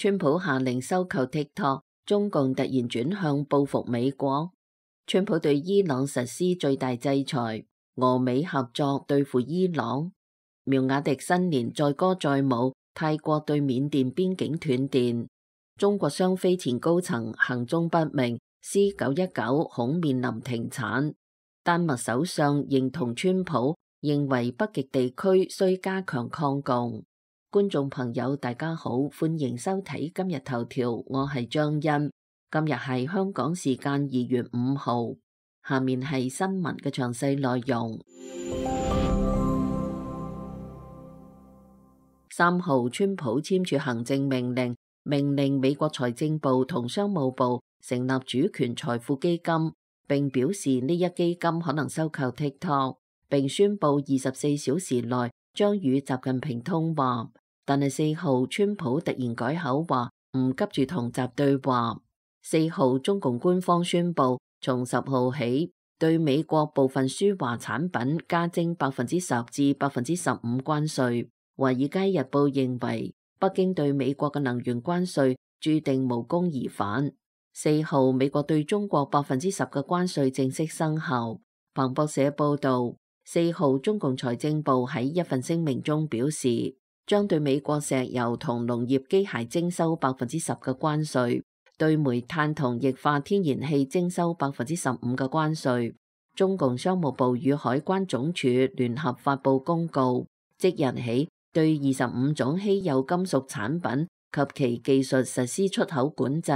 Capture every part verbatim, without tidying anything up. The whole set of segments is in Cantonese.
川普下令收購 TikTok， 中共突然轉向報復美國。川普對伊朗實施最大制裁，俄美合作對付伊朗。苗雅迪新年載歌載舞，泰國對緬甸邊境斷電。中國商飛前高層行蹤不明 ，C 九一九恐面臨停產。丹麥首相認同川普，認為北極地區需加強抗共。觀眾朋友大家好，歡迎收睇今日頭條，我係張欣。今日係香港時間二月五號，下面係新聞嘅詳細內容。三號，川普簽署行政命令，命令美國財政部同商務部成立主權財富基金，並表示呢一基金可能收購 TikTok， 並宣布二十四小時內將與習近平通話。但係四號，川普突然改口話唔急住同習對話。四號，中共官方宣布從十號起對美國部分輸華產品加徵百分之十至百分之十五關稅。華爾街日報認為北京對美國嘅能源關稅注定無功而返。四號，美國對中國百分之十嘅關稅正式生效。彭博社報道，四號，中共財政部喺一份聲明中表示，將對美國石油同農業機械徵收百分之十嘅關稅，對煤炭同液化天然氣徵收百分之十五嘅關稅。中共商務部與海關總署聯合發布公告，即日起對二十五種稀有金屬產品及其技術實施出口管制。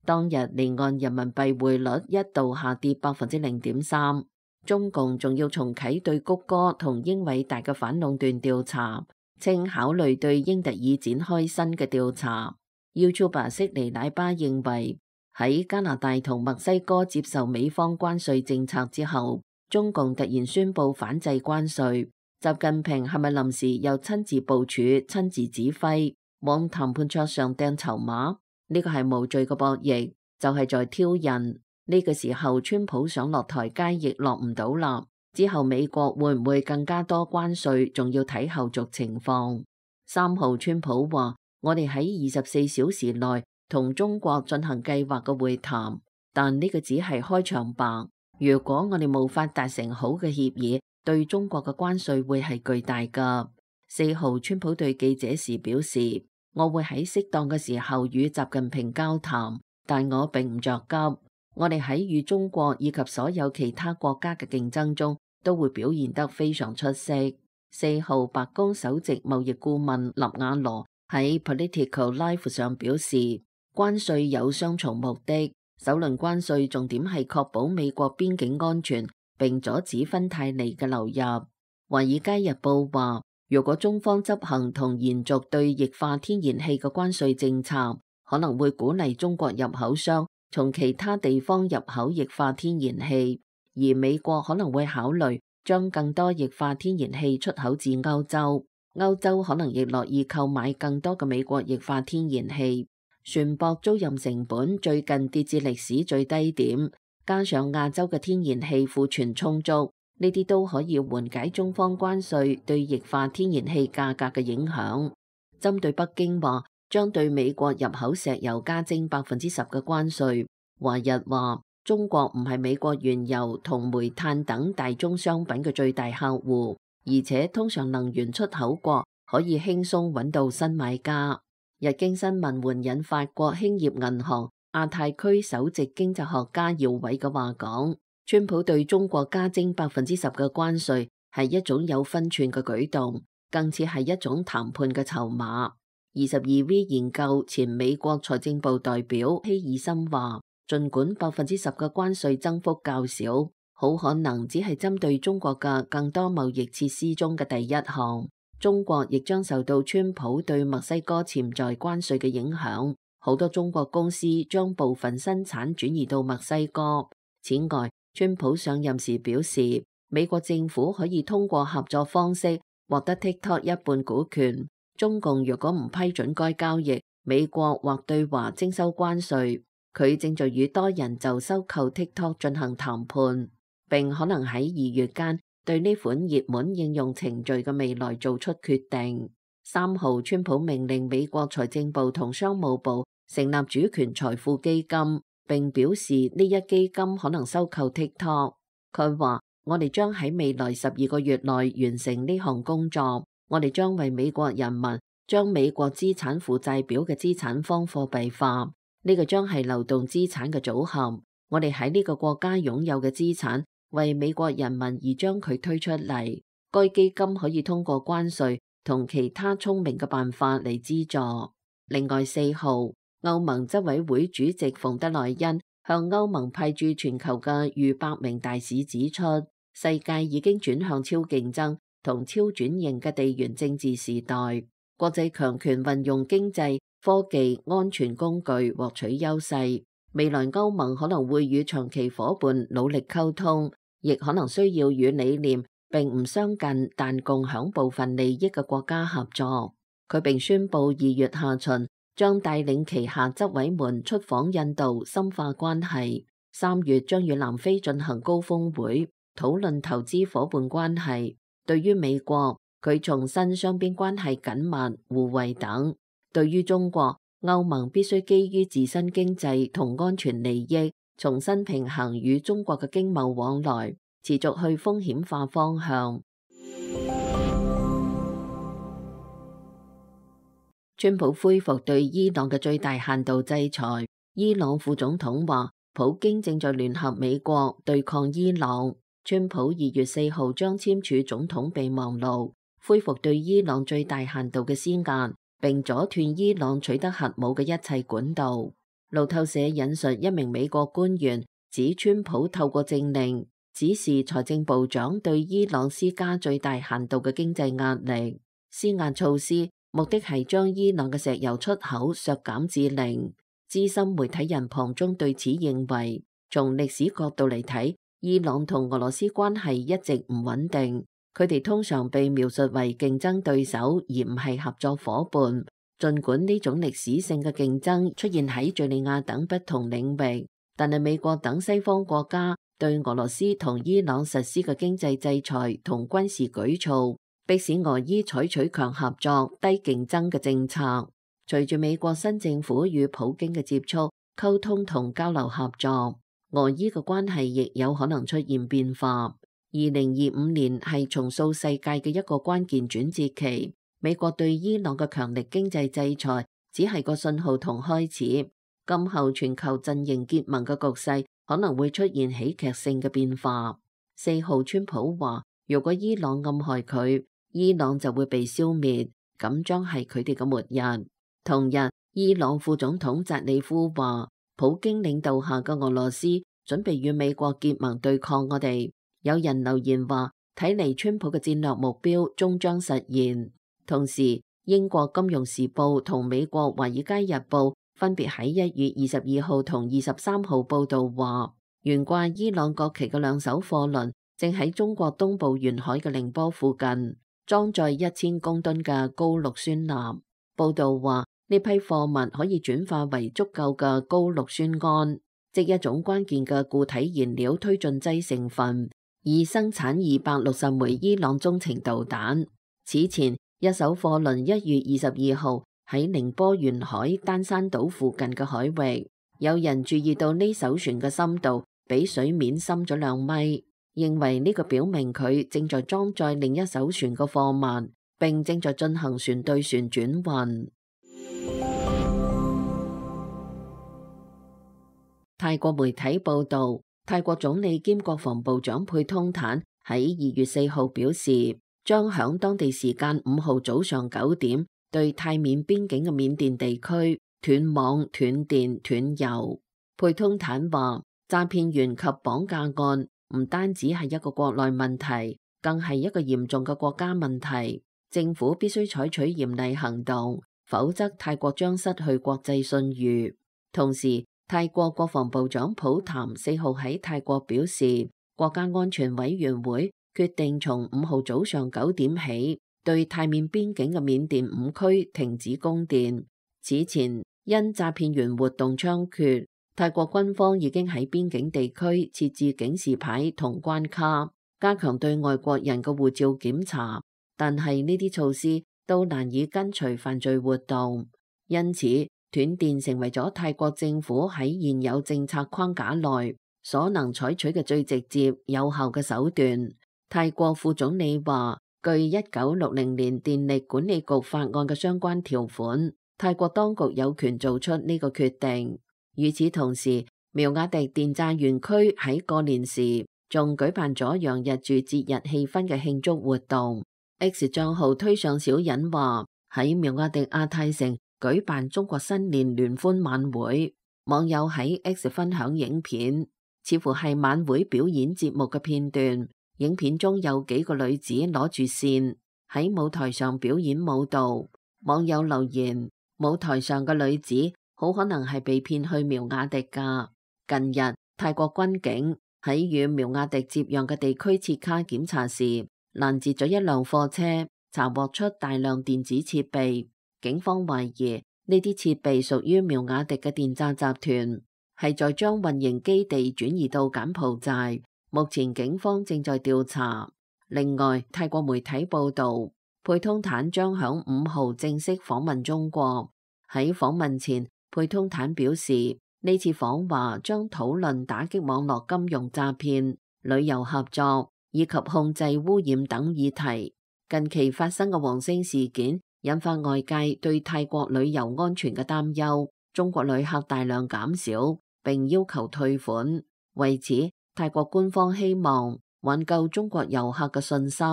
當日離岸人民幣匯率一度下跌百分之零點三。中共仲要重啟對谷歌同英偉達嘅反壟斷調查，稱考慮對英特爾展開新嘅調查。YouTuber 悉尼奶爸認為喺加拿大同墨西哥接受美方關稅政策之後，中共突然宣布反制關稅，習近平係咪臨時又親自部署、親自指揮，往談判桌上掟籌碼？呢個係無罪嘅博弈，就係在挑釁。呢個時候，川普想落台階亦落唔到啦。之後美國會唔會更加多關稅，仲要睇後續情況。三號，川普話：我哋喺二十四小時內同中國進行計劃嘅會談，但呢個只係開場白。如果我哋無法達成好嘅協議，對中國嘅關稅會係巨大㗎。四號，川普對記者時表示：我會喺適當嘅時候與習近平交談，但我並唔着急。我哋喺與中國以及所有其他國家嘅競爭中都會表現得非常出色。四號，白宮首席貿易顧問納瓦羅喺 Political Life 上表示，關稅有雙重目的，首輪關稅重點係確保美國邊境安全，並阻止芬太尼嘅流入。華爾街日報話，如果中方執行同延續對液化天然氣嘅關稅政策，可能會鼓勵中國入口商從其他地方入口液化天然氣，而美國可能會考慮將更多液化天然氣出口至歐洲。歐洲可能亦樂意購買更多嘅美國液化天然氣。船舶租賃成本最近跌至歷史最低點，加上亞洲嘅天然氣庫存充足，呢啲都可以緩解中方關稅對液化天然氣價格嘅影響。針對北京話將對美國入口石油加徵百分之十嘅關稅，華日話中國唔係美國原油同煤炭等大宗商品嘅最大客戶，而且通常能源出口國可以輕鬆揾到新買家。日經新聞援引法國興業銀行亞太區首席經濟學家姚偉嘅話講，川普對中國加徵百分之十嘅關稅係一種有分寸嘅舉動，更似係一種談判嘅籌碼。二十二 V 研究前美國財政部代表希爾森話，儘管百分之十嘅關稅增幅較少，好可能只係針對中國嘅更多貿易設施中嘅第一項。中國亦將受到川普對墨西哥潛在關稅嘅影響，好多中國公司將部分生產轉移到墨西哥。此外，川普上任時表示，美國政府可以通過合作方式獲得 TikTok 一半股權。中共若果唔批准該交易，美國或對華徵收關稅。佢正在與多人就收購 TikTok 進行談判，並可能喺二月間對呢款熱門應用程序嘅未來做出決定。三號，川普命令美國財政部同商務部成立主權財富基金，並表示呢一基金可能收購 TikTok。佢話：我哋將喺未來十二個月內完成呢項工作，我哋將為美國人民將美國資產負債表嘅資產方貨幣化，呢個將係流動資產嘅組合。我哋喺呢個國家擁有嘅資產為美國人民而將佢推出嚟。該基金可以通過關稅同其他聰明嘅辦法嚟資助。另外四號，歐盟執委會主席馮德萊恩向歐盟派駐全球嘅逾百名大使指出，世界已經轉向超競爭同超轉型嘅地緣政治時代，國際強權運用經濟、科技、安全工具獲取優勢。未來歐盟可能會與長期夥伴努力溝通，亦可能需要與理念並唔相近但共享部分利益嘅國家合作。佢並宣布二月下旬將帶領旗下執委們出訪印度，深化關係。三月將與南非進行高峰會，討論投資夥伴關係。對於美國，佢重申雙邊關係緊密、互惠等。對於中國，歐盟必須基於自身經濟同安全利益，重新平衡與中國嘅經貿往來，持續去風險化方向。川普恢復對伊朗嘅最大限度制裁。伊朗副總統話，普京正在聯合美國對抗伊朗。川普二月四號將簽署總統備忘錄，恢復對伊朗最大限度嘅施壓，並阻斷伊朗取得核武嘅一切管道。路透社引述一名美國官員指，川普透過政令指示財政部長對伊朗施加最大限度嘅經濟壓力。施壓措施目的係將伊朗嘅石油出口削減至零。資深媒體人龐中對此認為，從歷史角度嚟睇，伊朗同俄羅斯關係一直唔穩定，佢哋通常被描述為競爭對手而唔係合作夥伴。儘管呢種歷史性嘅競爭出現喺敘利亞等不同領域，但係美國等西方國家對俄羅斯同伊朗實施嘅經濟制裁同軍事舉措，迫使俄伊採取強合作、低競爭嘅政策。隨住美國新政府與普京嘅接觸、溝通同交流合作，俄伊嘅關係亦有可能出現變化。二零二五年係重塑世界嘅一個關鍵轉折期。美國對伊朗嘅強力經濟制裁只係個信號同開始，今後全球陣營結盟嘅局勢可能會出現喜劇性嘅變化。四號，川普話，如果伊朗暗害佢，伊朗就會被消滅，咁將係佢哋嘅末日。同日，伊朗副總統扎里夫話，普京領導下嘅俄羅斯準備與美國結盟對抗我哋。有人留言話，睇嚟川普嘅戰略目標終將實現。同時，英國金融時報同美國華爾街日報分別喺一月二十二號同二十三號報道話，懸掛伊朗國旗嘅兩艘貨輪正喺中國東部沿海嘅寧波附近裝載一千公噸嘅高氯酸鈉。報道話，呢批貨物可以轉化為足夠嘅高氯酸銨，即一種關鍵嘅固體燃料推進劑成分，以生產二百六十枚伊朗中程導彈。此前，一艘貨輪一月二十二號喺寧波沿海丹山島附近嘅海域，有人注意到呢艘船嘅深度比水面深咗兩米，認為呢個表明佢正在裝載另一艘船嘅貨物，並正在進行船對船轉運。泰國媒體報道，泰國總理兼國防部長佩通坦喺二月四號表示，將響當地時間五號早上九點對泰緬邊境嘅緬甸地區斷網、斷電、斷油。佩通坦話，詐騙員及綁架案唔單止係一個國內問題，更係一個嚴重嘅國家問題。政府必須採取嚴厲行動，否則泰國將失去國際信譽。同時，泰國國防部長普譚四號喺泰國表示，國家安全委員會決定從五號早上九點起，對泰緬邊境嘅緬甸五區停止供電。此前，因詐騙員活動猖獗，泰國軍方已經喺邊境地區設置警示牌同關卡，加強對外國人嘅護照檢查。但係呢啲措施都難以跟隨犯罪活動，因此斷電成為咗泰國政府喺現有政策框架內所能採取嘅最直接有效嘅手段。泰國副總理話，據一九六零年電力管理局法案嘅相關條款，泰國當局有權做出呢個決定。與此同時，苗瓦迪電炸園區喺過年時仲舉辦咗洋溢住節日氣氛嘅慶祝活動。X 賬號推上小人話，喺苗瓦迪亞太城舉辦中國新年聯歡晚會，網友喺 X 分享影片，似乎係晚會表演節目嘅片段。影片中有幾個女子攞住扇喺舞台上表演舞蹈。網友留言，舞台上嘅女子好可能係被騙去苗瓦迪㗎。近日，泰國軍警喺與苗瓦迪接壤嘅地區切卡檢查時，攔截咗一輛貨車，查獲出大量電子設備。警方懷疑呢啲設備屬於苗瓦迪嘅電詐集團，係在將運營基地轉移到柬埔寨。目前警方正在調查。另外，泰國媒體報道，佩通坦將響五號正式訪問中國。喺訪問前，佩通坦表示，呢次訪華將討論打擊網絡金融詐騙、旅遊合作以及控制污染等議題。近期發生嘅黃星事件引發外界對泰國旅遊安全嘅擔憂，中國旅客大量減少，並要求退款。為此，泰國官方希望挽救中國遊客嘅信心。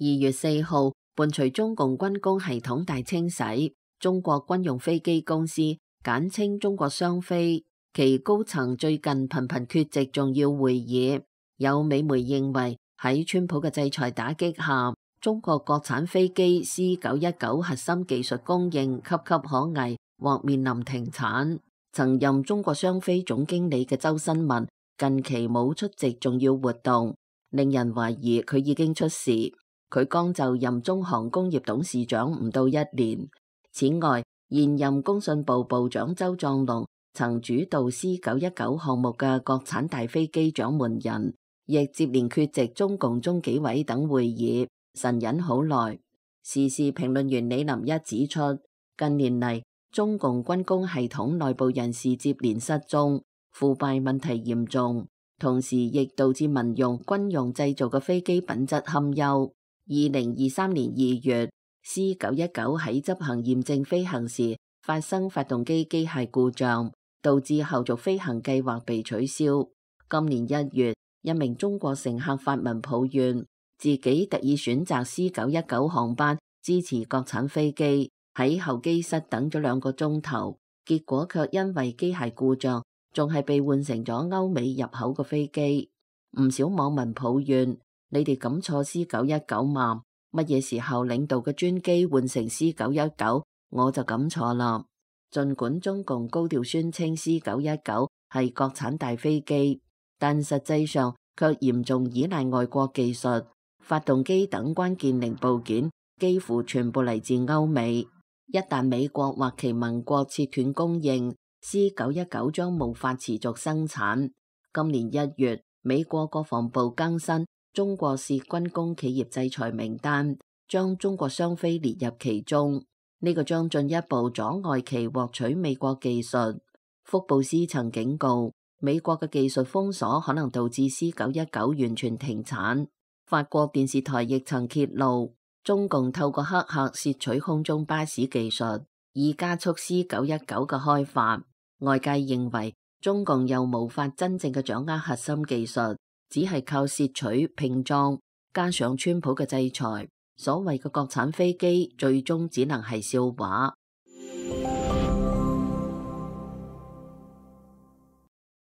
二月四號，伴隨中共軍工系統大清洗，中國軍用飛機公司簡稱中國商飛，其高層最近頻頻缺席重要會議。有美媒認為，喺川普嘅制裁打擊下，中國國產飛機 C 九一九核心技術供應岌岌可危，或面臨停產。曾任中國商飛總經理嘅周新文近期冇出席重要活動，令人懷疑佢已經出事。佢剛就任中航工業董事長唔到一年。此外，現任工信部部長周壯龍曾主導 C 九一九項目嘅國產大飛機掌門人，亦接連缺席中共中紀委等會議，神隱好耐。時事評論員李林一指出，近年嚟中共軍工系統內部人士接連失蹤，腐敗問題嚴重，同時亦導致民用、軍用製造嘅飛機品質堪憂。二零二三年二月 ，C 九一九喺執行驗證飛行時發生發動機機械故障，導致後續飛行計劃被取消。今年一月，一名中國乘客發文抱怨，自己特意選擇 C 九一九航班支持國產飛機，喺候機室等咗兩個鐘頭，結果卻因為機械故障，仲係被換成咗歐美入口嘅飛機。唔少網民抱怨。你哋敢坐 C 九一九嘛？乜嘢時候領導嘅專機換成 C 九一九，我就敢坐啦。盡管中共高調宣稱 C 九一九係國產大飛機，但實際上卻嚴重依賴外國技術，發動機等關鍵零部件幾乎全部嚟自歐美。一旦美國或其盟國切斷供應， C 九一九將無法持續生產。今年一月，美國國防部更新中國涉軍工企業制裁名單，將中國商飛列入其中，呢、這個將進一步阻礙其獲取美國技術。福布斯曾警告，美國嘅技術封鎖可能導致 C 九一九完全停產。法國電視台亦曾揭露，中共透過黑客竊取空中巴士技術，以加速 C 九一九嘅開發。外界認為，中共又無法真正嘅掌握核心技術。只係靠竊取拼裝，加上川普嘅制裁，所謂嘅國產飛機最終只能係笑話。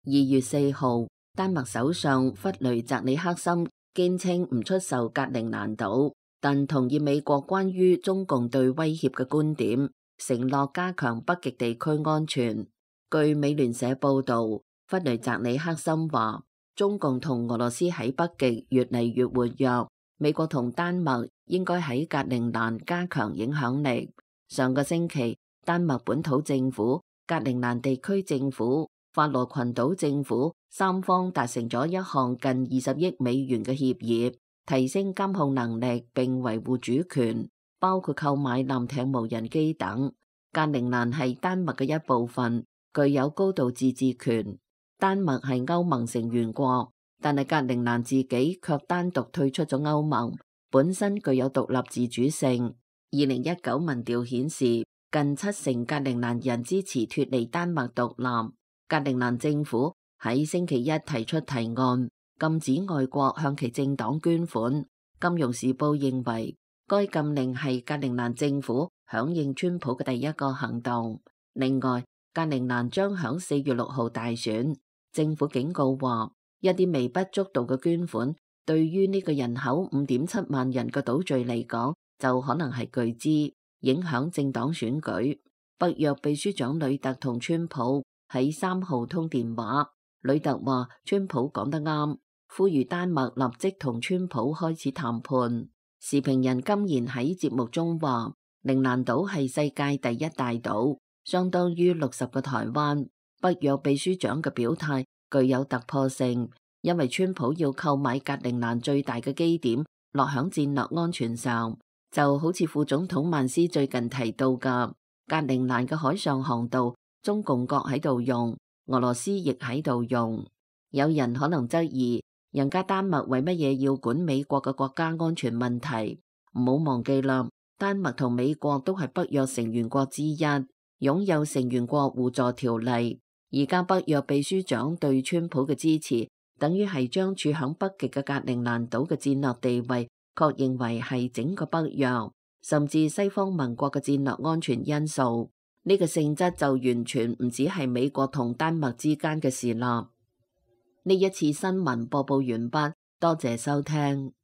二月四號，丹麥首相弗雷澤里克森堅稱唔出售格陵蘭島，但同意美國關於中共對威脅嘅觀點，承諾加強北極地區安全。據美聯社報道，弗雷澤里克森話，中共同俄羅斯喺北極越嚟越活躍，美國同丹麥應該喺格陵蘭加強影響力。上個星期，丹麥本土政府、格陵蘭地區政府法羅群島政府三方達成咗一項近二十億美元嘅協議，提升監控能力並維護主權，包括購買艦艇、無人機等。格陵蘭係丹麥嘅一部分，具有高度自治權。丹麥係歐盟成員國，但係格陵蘭自己卻單獨退出咗歐盟，本身具有獨立自主性。二零一九民調顯示，近七成格陵蘭人支持脫離丹麥獨立。格陵蘭政府喺星期一提出提案，禁止外國向其政黨捐款。金融時報認為，該禁令係格陵蘭政府響應川普嘅第一個行動。另外，格陵蘭將響四月六號大選。政府警告話，一啲微不足道嘅捐款，對於呢個人口五點七萬人嘅島嶼嚟講，就可能係巨資，影響政黨選舉。北約秘書長呂特同川普喺三號通電話，呂特話川普講得啱，呼籲丹麥立即同川普開始談判。時評人金賢喺節目中話，陵蘭島係世界第一大島，相當於六十個台灣。北約秘書長嘅表態具有突破性，因為川普要購買格陵蘭最大嘅基點落響戰略安全上，就好似副總統曼斯最近提到嘅格陵蘭嘅海上航道，中共國喺度用，俄羅斯亦喺度用。有人可能質疑，人家丹麥為乜嘢要管美國嘅國家安全問題？唔好忘記啦，丹麥同美國都係北約成員國之一，擁有成員國互助條例。而家北約秘書長對川普嘅支持，等於係將處響北極嘅格陵蘭島嘅戰略地位確認為係整個北約，甚至西方盟國嘅戰略安全因素。呢個性質就完全唔止係美國同丹麥之間嘅事啦。呢一次新聞播報完畢，多謝收聽。